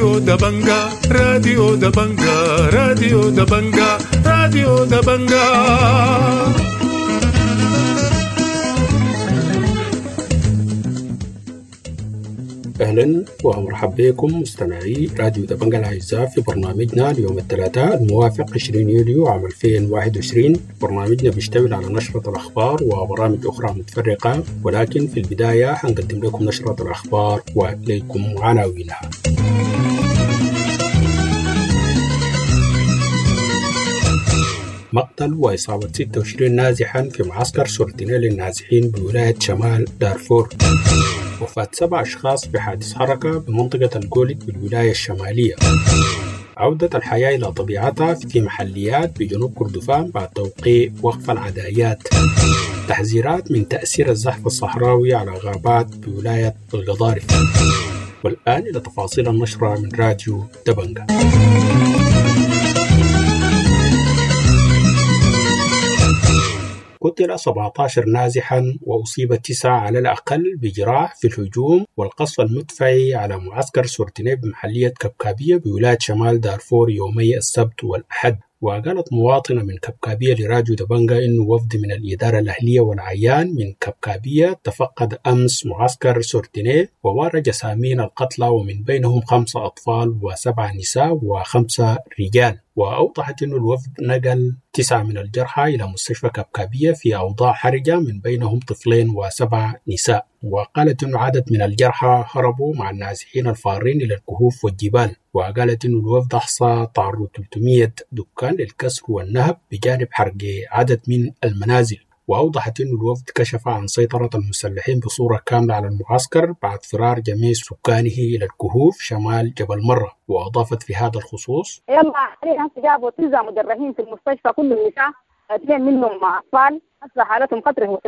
راديو دبنجا، راديو دبنجا، راديو دبنجا، راديو دبنجا. أهلا ومرحبا بكم مستمعي راديو دبنجا الأعزاء في برنامجنا اليوم الثلاثاء الموافق 20 يوليو عام 2021. برنامجنا بيشتمل على نشرة الأخبار وبرامج أخرى متفرقة، ولكن في البداية حنقدم لكم نشرة الأخبار وإليكم عناوينها. مقتل وإصابة 26 نازحا في معسكر سورتينيل للنازحين بولاية شمال دارفور. وفاة 7 أشخاص في حادث حركة بمنطقة الجولد بالولاية الشمالية. عودة الحياة إلى طبيعتها في محليات بجنوب كردفان بعد توقيع وقف العدائيات. تحذيرات من تأثير الزحف الصحراوي على غابات بولاية القضارف. والآن إلى تفاصيل النشرة من راديو دبنجا. قتل 17 نازحا وأصيب 9 على الأقل بجراح في الهجوم والقصف المدفعي على معسكر سورتيني بمحلية كبكابية بولاية شمال دارفور يومي السبت والأحد. وقالت مواطنة من كبكابية لراديو دبنجا إنه وفد من الإدارة الأهلية والعيان من كبكابية تفقد أمس معسكر سورتيني ووارى جسامين القتلى، ومن بينهم 5 أطفال و7 نساء و5 رجال. وأوضحت أن الوفد نقل 9 من الجرحى إلى مستشفى كبكابية في أوضاع حرجة، من بينهم طفلين و7 نساء. وقالت أن عدد من الجرحى هربوا مع النازحين الفارين إلى الكهوف والجبال. وقالت أن الوفد أحصى تعرض 300 دكان للكسر والنهب بجانب حرق عدد من المنازل. وأوضحت أن الوفد كشف عن سيطرة المسلحين بصورة كاملة على المعسكر بعد فرار جميع سكانه إلى الكهوف شمال جبل مرة. وأضافت في هذا الخصوص: يلا علينا جابوا 9 مجرحين في المستشفى، كل النساء، 2 منهم أطفال، أصلا حالتهم خطرة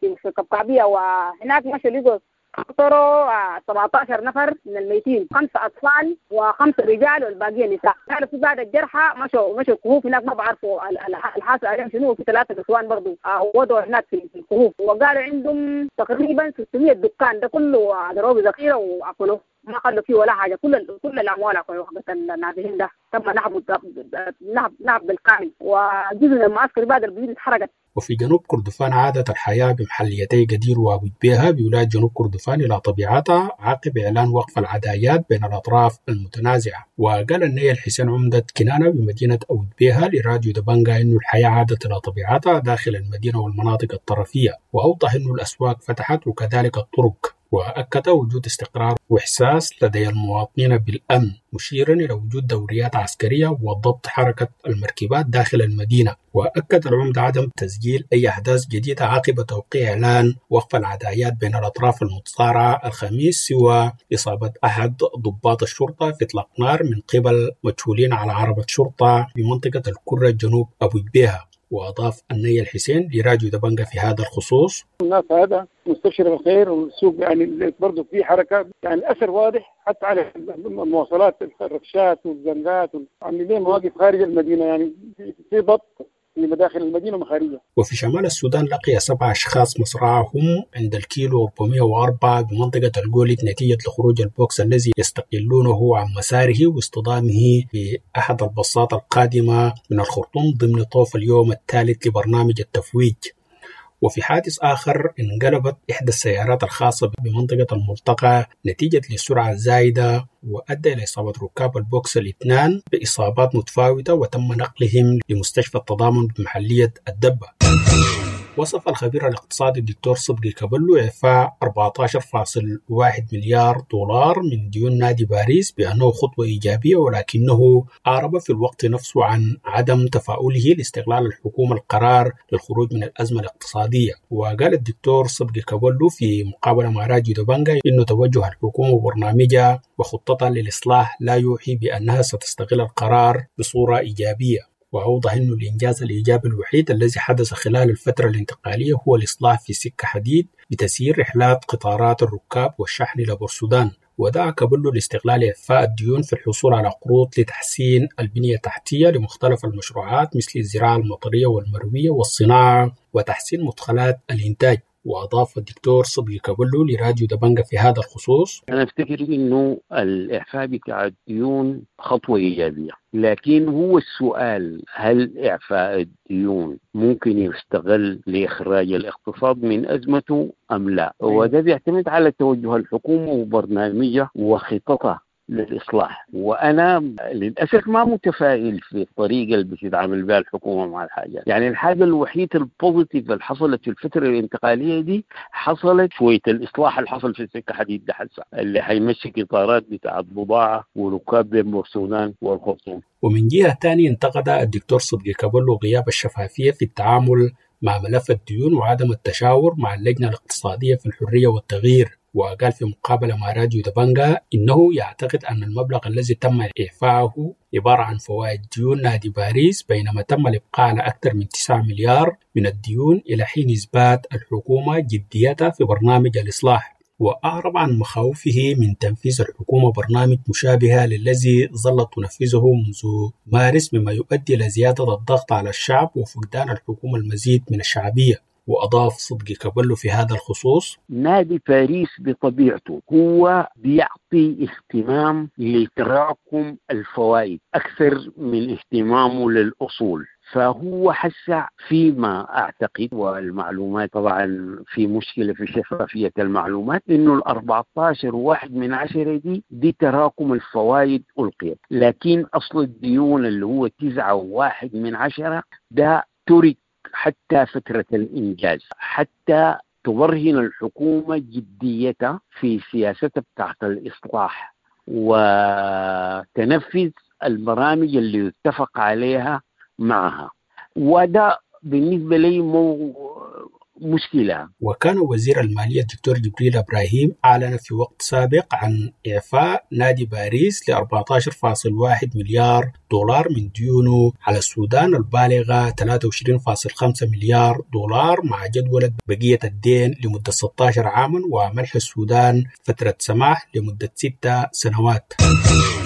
في كبكابية. وهناك مشوا لقوا قطروا 17 نفر من الميتين، 5 أطفال و5 رجال والباقية نساء. كانوا في بعض الجرحى مشوا الكهوف هناك، ما بعرفوا الحاصل عليهم شنو. وفي 3 نسوان برضو وضعوا هناك في الكهوف، وقالوا عندهم تقريبا 600 دكان، ده كله ضربوا ذخيرة وأكلوه، ما خلوا فيه ولا حاجة، كل الأموال أكلوها. النازحين ده تم نهب بالكامل، وجزء من المعسكر بعد البيوت اتحرقت. وفي جنوب كردفان عادت الحياة بمحليتي قدير وأبو جبيهة بولاية جنوب كردفان إلى طبيعتها عقب إعلان وقف العدايات بين الأطراف المتنازعة. وقال النيل حسين عمدة كنانة بمدينة أبو جبيهة لراديو دبنجا إنه الحياة عادت إلى طبيعتها داخل المدينة والمناطق الطرفية، وأوضح إنه الأسواق فتحت وكذلك الطرق، وأكد وجود استقرار وإحساس لدي المواطنين بالأمن، مشيرا إلى وجود دوريات عسكرية وضبط حركة المركبات داخل المدينة. وأكد العمدة عدم تسجيل أي أحداث جديدة عقب توقيع إعلان وقف العدايات بين الأطراف المتصارعة الخميس، سوى إصابة أحد ضباط الشرطة في إطلاق نار من قبل مجهولين على عربة شرطة بمنطقة الكرة جنوب أبو جبيهة. وأضاف النيل حسين لراديو دبنجا في هذا الخصوص: الناس هذا مستبشر بالخير، والسوق يعني برضه في حركة، يعني الأثر واضح حتى على المواصلات، الركشات والزنقات، عاملين مواقف خارج المدينة، يعني في ضبط في مداخل المدينة ومخارجها. وفي شمال السودان لقي 7 أشخاص مصرعهم عند الكيلو 404 بمنطقة الجولد نتيجة لخروج البوكس الذي يستقلونه عن مساره واصطدامه بأحد الباصات القادمة من الخرطوم ضمن طوف اليوم الثالث لبرنامج التفويج. وفي حادث آخر انقلبت إحدى السيارات الخاصة بمنطقة الملتقى نتيجة للسرعة الزايدة، وأدى إلى إصابة ركاب البوكس الاثنان بإصابات متفاوتة، وتم نقلهم لمستشفى التضامن بمحلية الدبة. وصف الخبير الاقتصادي الدكتور صدقي كبلو إعفاء 14.1 مليار دولار من ديون نادي باريس بأنه خطوة إيجابية، ولكنه أعرب في الوقت نفسه عن عدم تفاؤله لاستغلال الحكومة القرار للخروج من الأزمة الاقتصادية. وقال الدكتور صدقي كبلو في مقابلة مع راديو دبنجا إنه توجه الحكومة وبرنامجها وخطتها للإصلاح لا يوحي بأنها ستستغل القرار بصورة إيجابية. وأوضح أن الإنجاز الإيجابي الوحيد الذي حدث خلال الفترة الانتقالية هو الإصلاح في سكة حديد بتسيير رحلات قطارات الركاب والشحن إلى بورسودان. ودعا كابلو لاستغلال إعفاء الديون في الحصول على قروض لتحسين البنية التحتية لمختلف المشروعات مثل الزراعة المطرية والمروية والصناعة وتحسين مدخلات الإنتاج. وأضاف الدكتور صدقي كابلو لراديو دبنجة في هذا الخصوص: أنا أفتكر إنه الإعفاء بتاع الديون خطوة إيجابية، لكن هو السؤال هل إعفاء الديون ممكن يستغل لإخراج الاقتصاد من أزمته أم لا؟ وده بيعتمد على توجه الحكومة وبرنامجها وخططها للإصلاح. وأنا للأسف ما متفائل في الطريقة اللي بتتعامل بها الحكومة مع الحاجات. يعني الحاجة الوحيدة ال positive اللي حصلت في الفترة الانتقالية دي حصلت شوية الإصلاح اللي حصل في السكة حديد ده حسع اللي حيمشي قطارات بتاعت بضاعة وركاب بين بورسودان والخرطوم. ومن جهة ثانية انتقد الدكتور صدقي كابلو غياب الشفافية في التعامل مع ملف الديون وعدم التشاور مع اللجنة الاقتصادية في الحرية والتغيير. وقال في مقابلة مع راديو دبنجا إنه يعتقد أن المبلغ الذي تم إعفائه عبارة عن فوائد ديون نادي باريس، بينما تم الإبقاء على أكثر من 9 مليار من الديون إلى حين إثبات الحكومة جديتها في برنامج الإصلاح. وأعرب عن مخاوفه من تنفيذ الحكومة برنامج مشابه للذي ظلت تنفذه منذ مارس، مما يؤدي إلى زيادة الضغط على الشعب وفقدان الحكومة المزيد من الشعبية. وأضاف صدقي كابلو في هذا الخصوص: نادي باريس بطبيعته هو بيعطي اهتمام لتراكم الفوائد أكثر من اهتمامه للأصول، فهو حسع فيما أعتقد، والمعلومات طبعا في مشكلة في شفافية المعلومات، إنه 14.1 دي تراكم الفوائد ألقيت، لكن أصل الديون اللي هو 9.1 ده ترك حتى فترة الإنجاز، حتى تبرهن الحكومة جديتها في سياستها بتاعت الإصلاح وتنفذ البرامج اللي اتفق عليها معها. وده بالنسبة لي مشكلة. وكان وزير المالية الدكتور جبريل إبراهيم أعلن في وقت سابق عن إعفاء نادي باريس ل 14.1 مليار دولار من ديونه على السودان البالغة 23.5 مليار دولار، مع جدولة بقية الدين لمدة 16 عاما ومنح السودان فترة سماح لمدة 6 سنوات.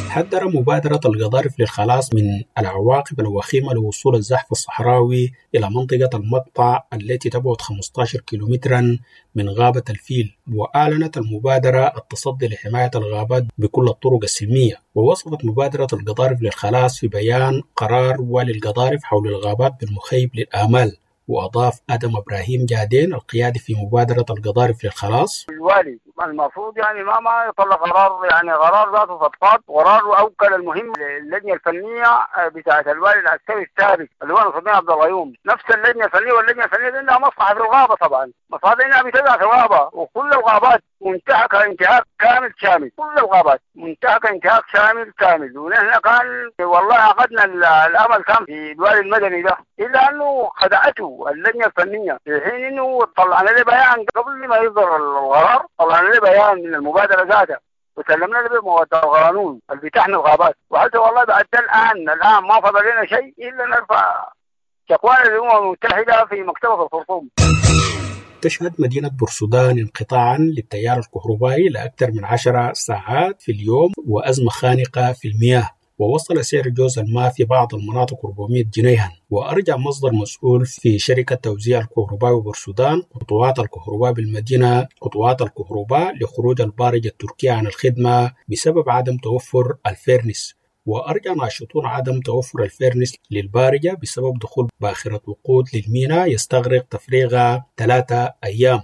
حذر مبادرة القضارف للخلاص من العواقب الوخيمة لوصول الزحف الصحراوي إلى منطقة المقطع التي تبعد 15 كيلومترا من غابة الفيل. وأعلنت المبادرة التصدي لحماية الغابات بكل الطرق السلمية. ووصفت مبادرة القضارف للخلاص في بيان قرار والي القضارف حول الغابات بالمخيب للآمال. وأضاف آدم إبراهيم جادين القيادي في مبادرة القضارف للخلاص: الوالي المفروض يعني ما يطلع قرار، يعني قرار ذاته فضفاض، قرار أوكل المهم للجنة الفنية بتاعة الوالي العسكري السابق اللي هو نصر الدين عبد الغيوم، نفس اللجنة الفنية. واللجنة الفنية دي عندها مصلحة في الغابة، طبعا مصلحة إنها بتزرع في الغابة، وكل الغابات منتهكة انتهاك كامل شامل، كل الغابات منتهكة انتهاك شامل كامل. ونحن كان والله عقدنا الأمل كان في الوالي المدني ده، إلا أنه خدعته اللجنة الفنية في حين إنه طلعنا له بيان قبل ما يصدر القرار، طلعنا له بيان من المبادرة ذاتها وسلمنا له بمواد القانون اللي بتحمي الغابات. وحتى والله بعد الآن ما فضل لنا شيء إلا نرفع شكوانا للأمم المتحدة في مكتبة الخرطوم. تشهد مدينة بورسودان انقطاعا للتيار الكهربائي لأكثر من 10 ساعات في اليوم وأزمة خانقة في المياه، ووصل سعر جوز الماء في بعض المناطق 400 جنيها. وأرجع مصدر مسؤول في شركة توزيع الكهرباء بورسودان قطوعات الكهرباء بالمدينة قطوعات الكهرباء لخروج البارجة التركية عن الخدمة بسبب عدم توفر الفيرنس. وأرجع ناشطون عدم توفر الفيرنس للبارجة بسبب دخول باخرة وقود للميناء يستغرق تفريغها 3 أيام.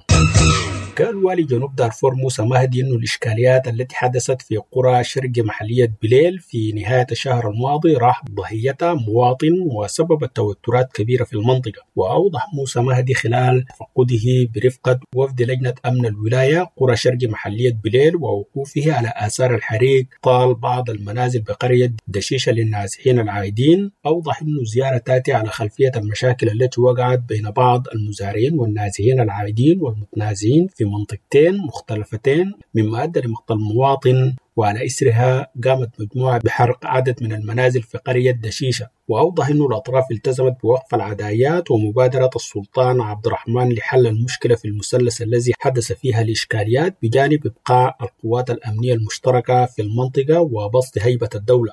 قال والي جنوب دارفور موسى مهدي أنه الإشكاليات التي حدثت في قرى شرق محلية بليل في نهاية الشهر الماضي راح ضحيتها مواطن وسببت توترات كبيرة في المنطقة. وأوضح موسى مهدي خلال تفقده برفقة وفد لجنة أمن الولاية قرى شرق محلية بليل ووقوفه على آثار الحريق طال بعض المنازل بقرية دشيشة للنازحين العائدين، أوضح أنه الزيارة تأتي على خلفية المشاكل التي وقعت بين بعض المزارعين والنازحين العائدين والمتنازعين في منطقتين مختلفتين، مما أدى لمقتل مواطن، وعلى إثرها قامت مجموعة بحرق عدد من المنازل في قرية دشيشة. وأوضح أن الأطراف التزمت بوقف العدايات ومبادرة السلطان عبد الرحمن لحل المشكلة في المثلث الذي حدث فيها الإشكاليات، بجانب إبقاء القوات الأمنية المشتركة في المنطقة وبسط هيبة الدولة.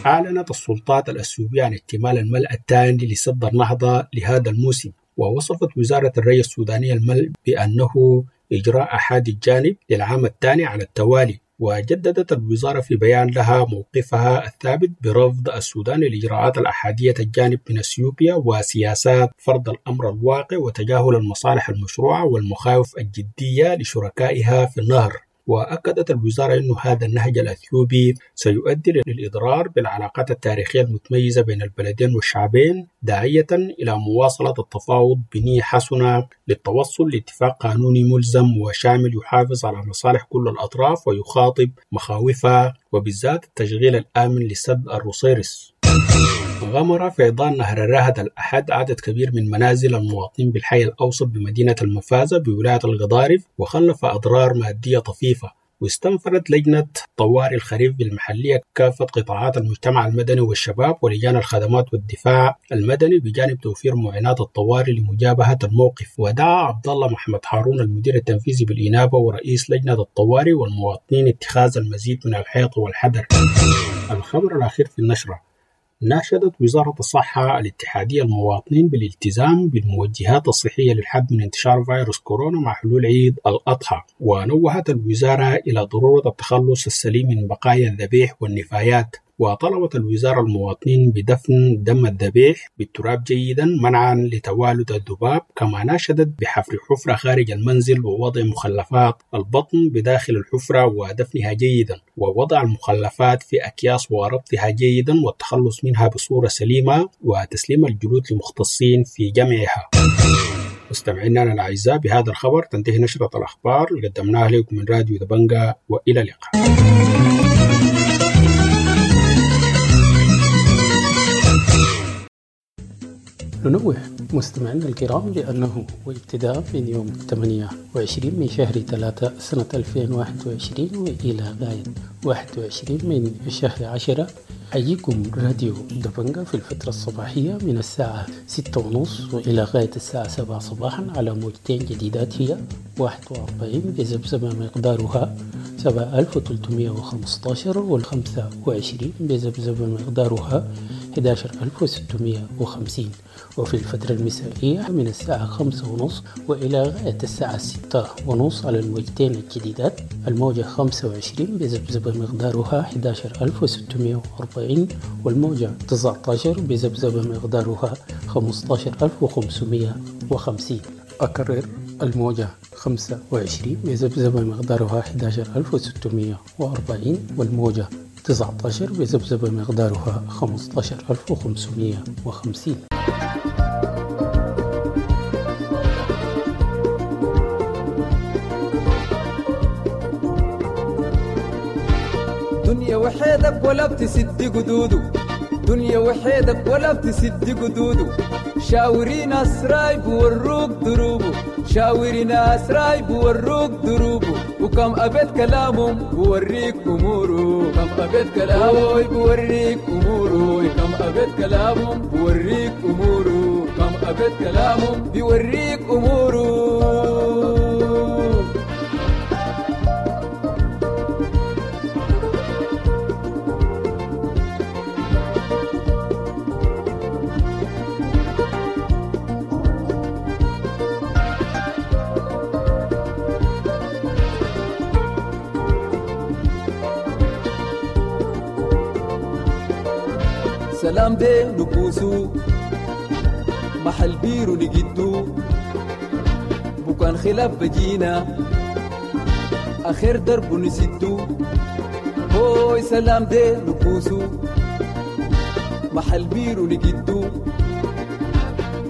أعلنت السلطات الأثيوبية عن اكتمال الملأ الثاني لسد النهضة لهذا الموسم. ووصفت وزارة الري السودانية الملء بأنه إجراء أحادي الجانب للعام الثاني على التوالي. وجددت الوزارة في بيان لها موقفها الثابت برفض السودان للإجراءات الأحادية الجانب من أثيوبيا وسياسات فرض الأمر الواقع وتجاهل المصالح المشروعة والمخاوف الجدية لشركائها في النهر. وأكدت الوزارة أن هذا النهج الأثيوبي سيؤدي للإضرار بالعلاقات التاريخية المتميزة بين البلدين والشعبين، داعية إلى مواصلة التفاوض بنية حسنة للتوصل لاتفاق قانوني ملزم وشامل يحافظ على مصالح كل الأطراف ويخاطب مخاوفها، وبالذات التشغيل الآمن لسد الروصيرص. غمر فيضان نهر الرهد الأحد عدد كبير من منازل المواطنين بالحي الأوسط بمدينة المفازة بولاية القضارف، وخلف أضرار مادية طفيفة. واستنفرت لجنة طوارئ الخريف بالمحلية كافة قطاعات المجتمع المدني والشباب ولجان الخدمات والدفاع المدني بجانب توفير معينات الطوارئ لمجابهة الموقف. ودعا عبد الله محمد هارون المدير التنفيذي بالإنابة ورئيس لجنة الطوارئ والمواطنين اتخاذ المزيد من الحيطة والحذر. الخبر الأخير في النشرة: ناشدت وزارة الصحة الاتحادية المواطنين بالالتزام بالموجهات الصحية للحد من انتشار فيروس كورونا مع حلول عيد الأضحى. ونوهت الوزارة إلى ضرورة التخلص السليم من بقايا الذبيح والنفايات. وطلبت الوزارة المواطنين بدفن دم الذبيح بالتراب جيدا منعا لتوالد الذباب، كما ناشدت بحفر حفرة خارج المنزل ووضع مخلفات البطن بداخل الحفرة ودفنها جيدا، ووضع المخلفات في أكياس وربطها جيدا والتخلص منها بصورة سليمة، وتسليم الجلود لمختصين في جمعها. مستمعينا الأعزاء، بهذا الخبر تنتهي نشرة الأخبار اللي قدمناها لكم من راديو دبنجا، وإلى اللقاء. ننوه مستمعينا الكرام بأنه وابتداء من يوم 28 من شهر 3 سنة 2021 وإلى غاية 21 من شهر 10 حييكم راديو دبنجا في الفترة الصباحية من الساعة 6:30 وإلى غاية الساعة 7 صباحا على موجتين جديدات، هي 41 بذبذبة مقدارها 7315 وال25 بذبذبة مقدارها 11650. وفي الفترة المسائية من الساعة 5:30 وإلى غاية الساعة 6:30 على الموجتين الجديدات، الموجة 25 بذبذبة مقدارها 11640 والموجة 19 بذبذبة مقدارها 15550. أكرر، الموجة 25 بذبذبة مقدارها 11640 والموجة 19 بذبذبة مقدارها 15550. دنيا وحيدك ولا بتسد قدوده، دنيا وحيدك ولا بتسد قدوده، شاوري ناس رايب وروك دروبه، شاوري ناس رايب وروك دروبه، وكم أبيت كلامهم بوريك أموره، كم أبيت كلامه بوريك أموره، كم أبيت كلامهم بوريك أموره، كم أبيت كلامهم بيوريك أموره. سلام دي نبوسو محل بيرو نجدو، بكان خلاف بجينا آخر درب نسدو، هوي سلام دي نبوسو محل بيرو نجدو،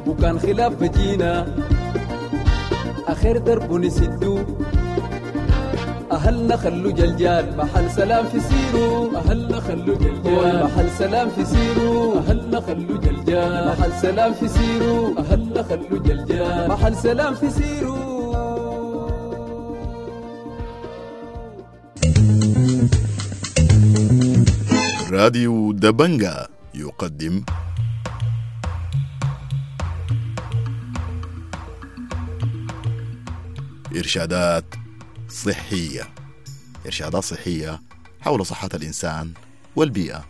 بكان خلاف بجينا آخر درب نسدو، أهلنا خلو جلجال محل سلام في سيرو، أهلنا خلو جلجال محل سلام في سيرو، أهلنا خلو جلجال محل سلام في سيرو، أهلنا خلو جلجال محل سلام في سيرو. راديو دبنجا يقدم إرشادات صحية، إرشادات صحية حول صحة الإنسان والبيئة.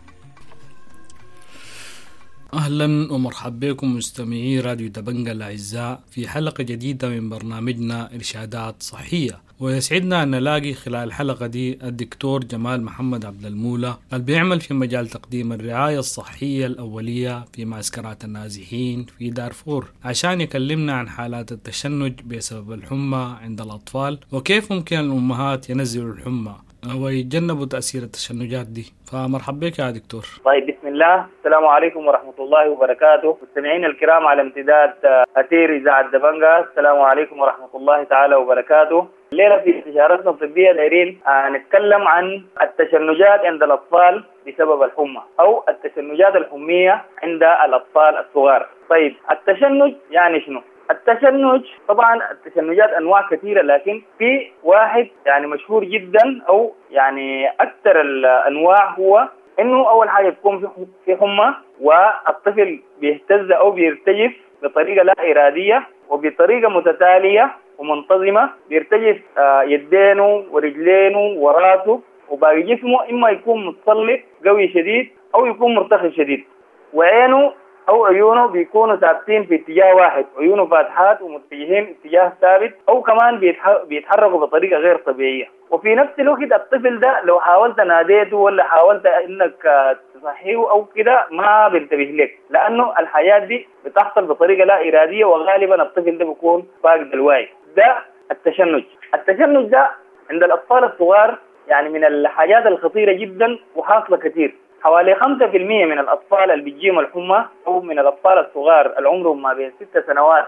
أهلا ومرحبا بكم مستمعي راديو دبنجا الأعزاء في حلقة جديدة من برنامجنا إرشادات صحية، ويسعدنا أن نلاقي خلال الحلقة دي الدكتور جمال محمد عبد المولى اللي بيعمل في مجال تقديم الرعاية الصحية الأولية في معسكرات النازحين في دارفور، عشان يكلمنا عن حالات التشنج بسبب الحمى عند الأطفال وكيف ممكن الأمهات ينزلوا الحمى ويتجنبوا تأثير التشنجات دي. فمرحبا بك يا دكتور. طيب، بسم الله. السلام عليكم ورحمة الله وبركاته. مستمعينا الكرام على امتداد أثير إذاعة دبنجا، السلام عليكم ورحمة الله تعالى وبركاته. الليلة في استشارتنا الطبية دايرين نتكلم عن التشنجات عند الأطفال بسبب الحمى أو التشنجات الحمية عند الأطفال الصغار. طيب، التشنج يعني شنو؟ التشنج طبعا التشنجات انواع كثيرة، لكن في واحد يعني مشهور جدا او يعني اكثر الانواع، هو انه اول حاجة تكون في حمى والطفل بيهتز او بيرتجف بطريقة لا ارادية وبطريقة متتالية ومنتظمه، بيرتجف يدينه ورجلينه وراسه وباقي جسمه، اما يكون متصلب قوي شديد او يكون مرتخي شديد، وعينه أو عيونه بيكونوا ثابتين في اتجاه واحد، عيونه فاتحات ومتجهين اتجاه ثابت، أو كمان بيتحركوا بطريقة غير طبيعية. وفي نفس الوقت الطفل ده لو حاولت ناديته ولا حاولت إنك تصحيه أو كده ما بينتبه لك، لأنه الحياة دي بتحصل بطريقة لا إرادية، وغالبا الطفل ده بيكون فاقد الوعي. ده التشنج. التشنج ده عند الأطفال الصغار يعني من الحاجات الخطيرة جدا وحاصلة كثير. حوالي 5% من الأطفال اللي بتجيهم الحمى أو من الأطفال الصغار اللي عمرهم ما بين 6 سنوات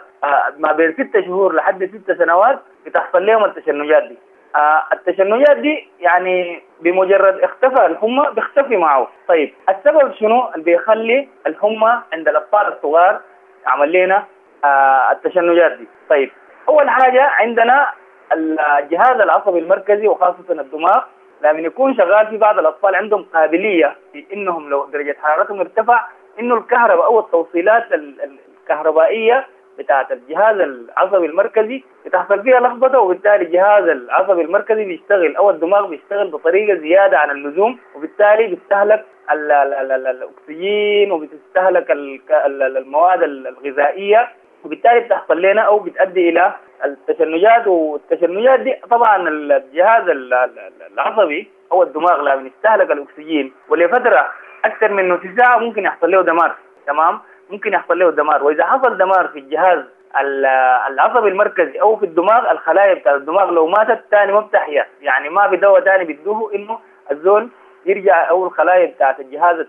ما بين 6 شهور لحد 6 سنوات بتحصل لهم التشنجات دي. التشنجات دي يعني بمجرد اختفى الحمى بيختفي معه. طيب، السبب شنو اللي بيخلي الحمى عند الأطفال الصغار عمل لنا التشنجات دي؟ طيب، أول حاجة عندنا الجهاز العصبي المركزي وخاصة الدماغ لما يكون شغال. في بعض الأطفال عندهم قابلية في إنهم لو درجة حرارتهم ارتفع إنه الكهرباء أو التوصيلات الكهربائية بتاعة الجهاز العصبي المركزي بتحصل فيها لخبطة، وبالتالي الجهاز العصبي المركزي بيشتغل أو الدماغ بيشتغل بطريقة زيادة عن اللزوم، وبالتالي بيستهلك الأكسجين وبتستهلك المواد الغذائية، وبالتالي بتحصل لنا أو بتؤدي إلى التشنجات. والتشنجات دي طبعا الجهاز العصبي او الدماغ لما يستهلك الاكسجين ولفترة اكثر من نص ساعة ممكن يحصل له دمار. تمام، ممكن يحصل له دمار. واذا حصل دمار في الجهاز العصبي المركزي او في الدماغ، الخلايا بتاع الدماغ لو ماتت ثاني ما بتحيا، يعني ما في دواء ثاني بيدوه انه الزول يرجع او الخلايا بتاعت الجهاز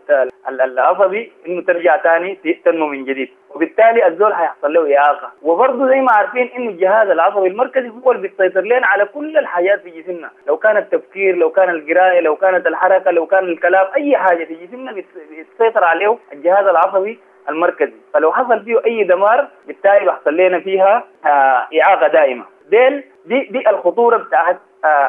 العصبي انه ترجع ثاني تنمو من جديد، وبالتالي الزول هيحصل له اعاقه. وبرضه زي ما عارفين انه الجهاز العصبي المركزي هو اللي بيسيطر لنا على كل الحاجات في جسمنا، لو كان التفكير، لو كان القراية، لو كانت الحركة، لو كان الكلام، اي حاجة في جسمنا بيسيطر عليه الجهاز العصبي المركزي. فلو حصل فيه اي دمار بالتالي بيحصل لنا فيها اعاقه دائمة. دي الخطورة بتاعت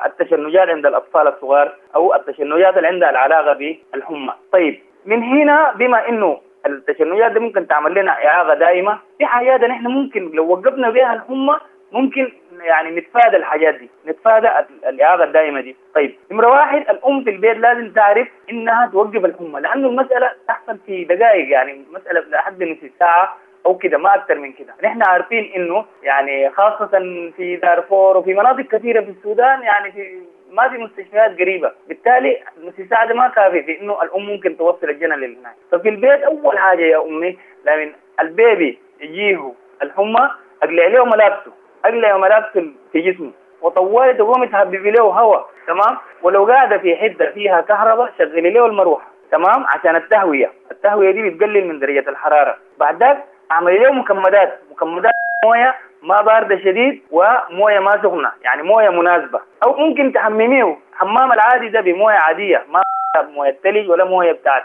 التشنجات عند الاطفال الصغار او التشنجات اللي عندها العلاقة بالحمى. طيب، من هنا بما انه التشنجات دي ممكن تعمل لنا اعاقه دائمة، في حاجات نحن ممكن لو وقفنا بها الحمى ممكن يعني نتفادى الحاجات دي، نتفادى الاعاقة الدائمة دي. طيب، نمره واحد، الام في البيت لازم تعرف انها توقف الحمى، لانه المسالة تحصل في دقائق، يعني مسالة لحد نص ساعة او كده، ما اكثر من كده. نحن عارفين انه يعني خاصة في دارفور وفي مناطق كثيرة في السودان يعني في ما في مستشفيات قريبه، بالتالي نص ساعة ده ما كافي في انه الام ممكن توصل الجنى للهناك. ففي البيت اول حاجة يا امي لمن البيبي يجيه الحمى اقلع له ملابسه، اقلع ملابسه في جسمه، وطوالي تقومي تهببي له هواء. تمام، ولو قاعدة في حده فيها كهرباء شغلي له المروحة. تمام، عشان التهويه، التهويه دي بتقلل من درجه الحرارة. بعد ذاك اعملي له مكمدات، مكمدات مويه ما باردة شديد ومويه ما سخنة، يعني مويه مناسبة، او ممكن تحمميه حمام العادي ده بمويه عادية، ما مويه ثلج ولا مويه بتاعت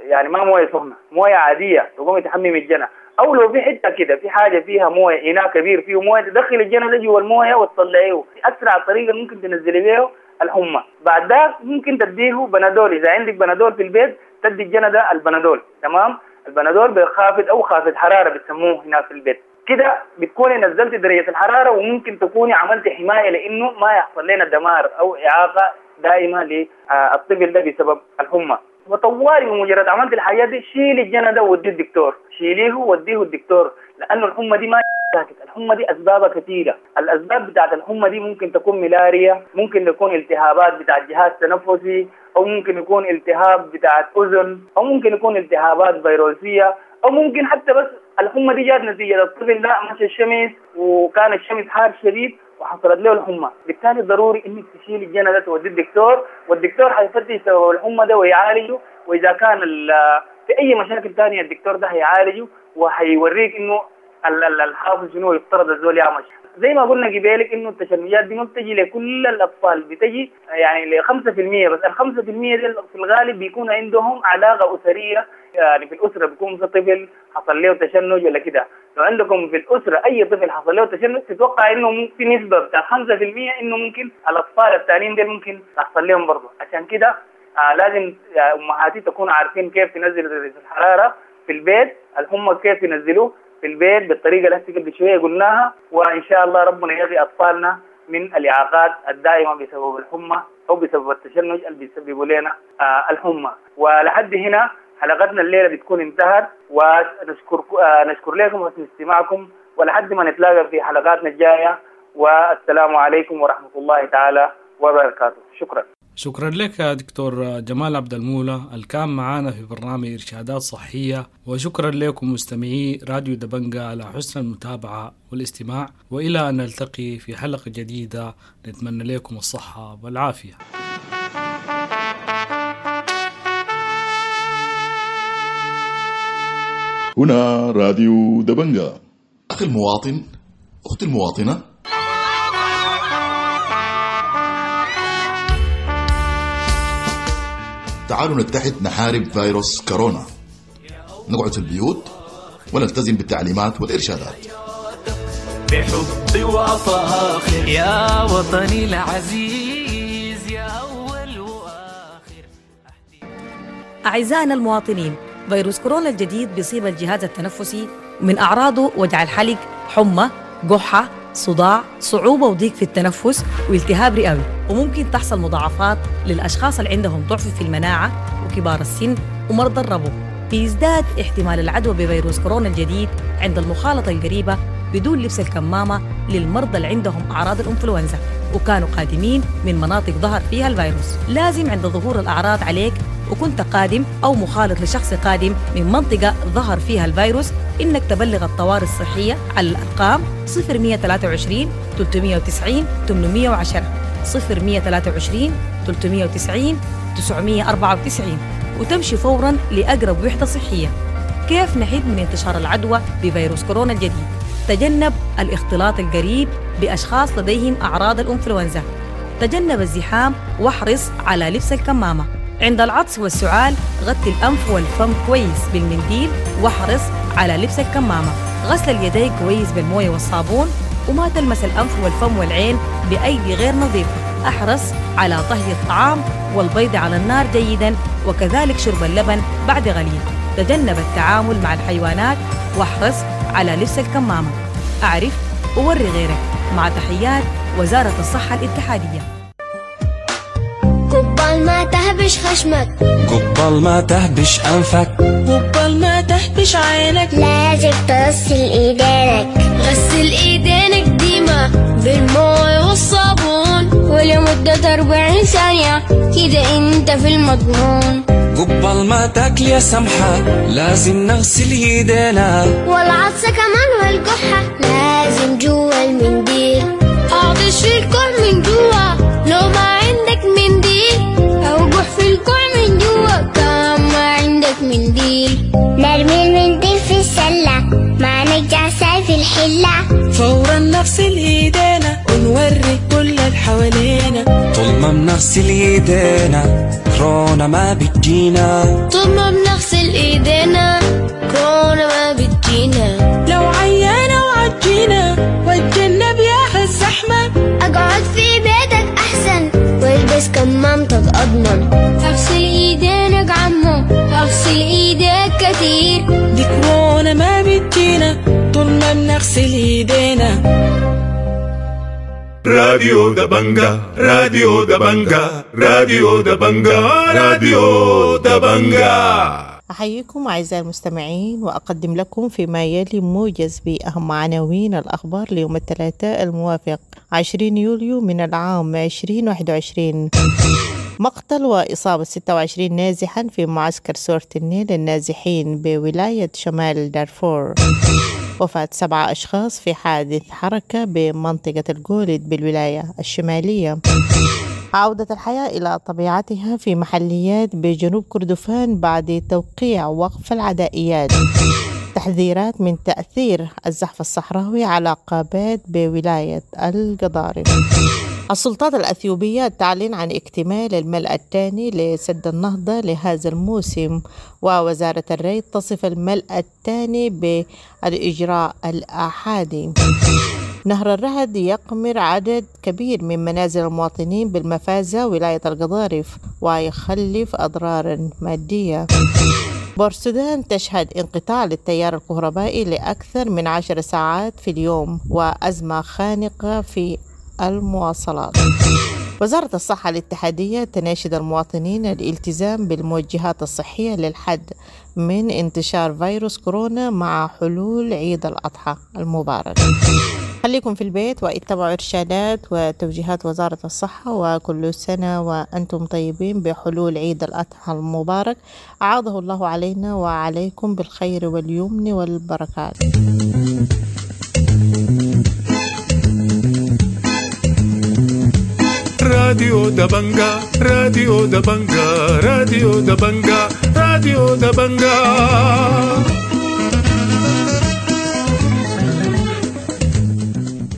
يعني ما مويه سخنة، مويه عادية تقومي تحممي الجنى. او لو في حتة كده في حاجة فيها مويه، اناء كبير فيه مويه، تدخل الجنى ده جوا المويه وتطلعيه. اسرع طريقه ممكن تنزلي بيه الحمى. بعد ذاك ممكن تديه بنادول، اذا عندك بنادول في البيت تدي الجنى ده البنادول. تمام، البنادول بخافض او خافض حرارة بتسموه هنا في البيت. كده بتكوني نزلتي درجه الحرارة، وممكن تكوني عملتي حماية لانه ما يحصل لنا دمار او اعاقه دائمة للطفل ده بسبب الحمى. وطوالي بمجرد عملت الحاجات دي شيلي الجنى ده ووديه الدكتور، شيليه ووديه الدكتور، لانه الحمى دي ما ساكت، الحمى دي اسبابها كثيرة، الاسباب بتاعت الحمى دي ممكن تكون ملاريا، ممكن تكون التهابات بتاعت جهاز تنفسي، او ممكن يكون التهاب بتاعت اذن، او ممكن يكون التهابات فيروسيه، او ممكن حتى بس الحمى دي جات نتيجة الطفل ده مشى الشمس وكان الشمس حار شديد وحصلت له الحمى، بالتالي ضروري انك تشيل الجنى ده توديه الدكتور، والدكتور حيفتش سبب الحمى ده ويعالجه، واذا كان في اي مشاكل ثانية الدكتور ده هيعالجه وحيوريك انه الحافظ شنو يفترض الزول يعمل. زي ما قلنا قبالك انه التشنجات دي ما بتجي لكل الاطفال، بتجي يعني ل 5% بس. ال 5% دي في الغالب بيكون عندهم علاقة اسرية، يعني في الاسرة بيكون في طفل حصل له تشنج ولا كده. لو عندكم في الاسرة اي طفل حصل له تشنج تتوقع انه في نسبه بتاع 5% انه ممكن الاطفال الثانيين دي ممكن تحصل لهم برضه. عشان كده لازم امهاتي تكون عارفين كيف تنزل درجه الحرارة في البيت، الحمى كيف ينزلوه في البيت بالطريقة اللي قبل شوية قلناها. وان شاء الله ربنا يغي اطفالنا من الاعاقات الدائمة بسبب الحمى او بسبب التشنج اللي بيسببوا لنا الحمى. ولحد هنا حلقتنا الليلة بتكون انتهت، ونشكر نشكر لكم حسن استماعكم، ولحد ما نتلاقى في حلقاتنا الجاية، والسلام عليكم ورحمة الله تعالى وبركاته. شكرا. شكرا لك يا دكتور جمال عبد المولى الكان معانا في برنامج إرشادات صحية، وشكرا لكم مستمعي راديو دبنجة على حسن المتابعة والاستماع، وإلى أن نلتقي في حلقة جديدة نتمنى لكم الصحة والعافية. هنا راديو دبنجة. أخي المواطن، أختي المواطنة، تعالوا نتحد نحارب فيروس كورونا، نقعد في البيوت ونلتزم بالتعليمات والإرشادات. بحب وفاخر يا وطني العزيز يا أول وآخر. أعزائنا المواطنين، فيروس كورونا الجديد بيصيب الجهاز التنفسي، من أعراضه وجع الحلق، حمى، قحة، صداع، صعوبة وضيق في التنفس، والتهاب رئوي، وممكن تحصل مضاعفات للأشخاص اللي عندهم ضعف في المناعة وكبار السن ومرضى الربو. بيزداد احتمال العدوى بفيروس كورونا الجديد عند المخالطة القريبة بدون لبس الكمامة للمرضى اللي عندهم أعراض الإنفلونزا وكانوا قادمين من مناطق ظهر فيها الفيروس. لازم عند ظهور الأعراض عليك وكنت قادم أو مخالط لشخص قادم من منطقة ظهر فيها الفيروس إنك تبلغ الطوارئ الصحية على الأرقام 0123 390 810، 0123 390 994، وتمشي فوراً لأقرب وحدة صحية. كيف نحد من انتشار العدوى بفيروس كورونا الجديد؟ تجنب الاختلاط القريب بأشخاص لديهم أعراض الإنفلونزا، تجنب الزحام واحرص على لبس الكمامة. عند العطس والسعال غطي الأنف والفم كويس بالمنديل واحرص على لبس الكمامة. غسل اليدين كويس بالموية والصابون، وما تلمس الأنف والفم والعين بأيدي غير نظيفة. أحرص على طهي الطعام والبيض على النار جيداً، وكذلك شرب اللبن بعد غليل. تجنب التعامل مع الحيوانات واحرص على لبس الكمامة. أعرف ووري غيرك. مع تحيات وزارة الصحة الاتحادية. قبال ما تهبش خشمك، قبال ما تهبش أنفك، قبال ما تهبش عينك، لازم تغسل ايدينك. غسل ايدينك ديما بالمويه والصابون ولمدة 40 ثانية، كده انت في المضمون. قبال ما تاكل يا سمحة لازم نغسل ايدينا، والعطسة كمان والقحة لازم جوا المنديل. اعطش في الكوع من جوا لو ما عندك منديل، او قح في الكوع من جوا كان ما عندك منديل. نرمي المنديل في السلة ما نرجع ساي في الحلة، فورا نغسل ايدينا ونوري كل اللي حوالينا. طول ما بنغسل ايدينا كورونا ما بتجينا، طول ما بنغسل ايدينا كورونا ما بتجينا. لو عيانا وعجينا واتجنب يا الزحمة، اقعد في بيتك احسن والبس كمامتك اضمن. اغسل ايدينك عمو، اغسل ايديك كتير، دي كورونا ما بتجينا طول ما بنغسل ايدينا. راديو دبنجا، راديو دبنجا، راديو دبنجا، راديو دبنجا. أحييكم أعزائي المستمعين، وأقدم لكم فيما يلي موجز بأهم عناوين الأخبار ليوم الثلاثاء الموافق 20 يوليو من العام 2021. مقتل وإصابة 26 نازحا في معسكر سورة النيل للنازحين بولاية شمال دارفور. وفاة 7 أشخاص في حادث حركة بمنطقة الجولد بالولاية الشمالية. عودة الحياة إلى طبيعتها في محليات بجنوب كردفان بعد توقيع وقف العدائيات. تحذيرات من تأثير الزحف الصحراوي على قابات بولاية القضارف. السلطات الأثيوبية تعلن عن اكتمال الملء الثاني لسد النهضة لهذا الموسم، ووزارة الري تصف الملء الثاني بالإجراء الأحادي. نهر الرهد يقمر عدد كبير من منازل المواطنين بالمفازة ولاية القضارف ويخلف أضرارا مادية. بورسودان تشهد انقطاع للتيار الكهربائي لأكثر من 10 ساعات في اليوم وأزمة خانقة في المواصلات. وزارة الصحة الاتحادية تناشد المواطنين الالتزام بالموجهات الصحية للحد من انتشار فيروس كورونا مع حلول عيد الأضحى المبارك. خليكم في البيت واتبعوا إرشادات وتوجيهات وزارة الصحة، وكل سنة وأنتم طيبين بحلول عيد الأضحى المبارك، أعاده الله علينا وعليكم بالخير واليمن والبركات. راديو دبنجا، راديو دبنجا، راديو دبنجا، راديو دبنجا.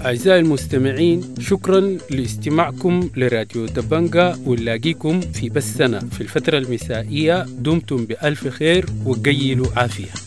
أعزائي المستمعين، شكرا لاستماعكم لراديو دبنجا، ونلاقيكم في بثنا في الفترة المسائية. دمتم بألف خير وقيلوا عافية.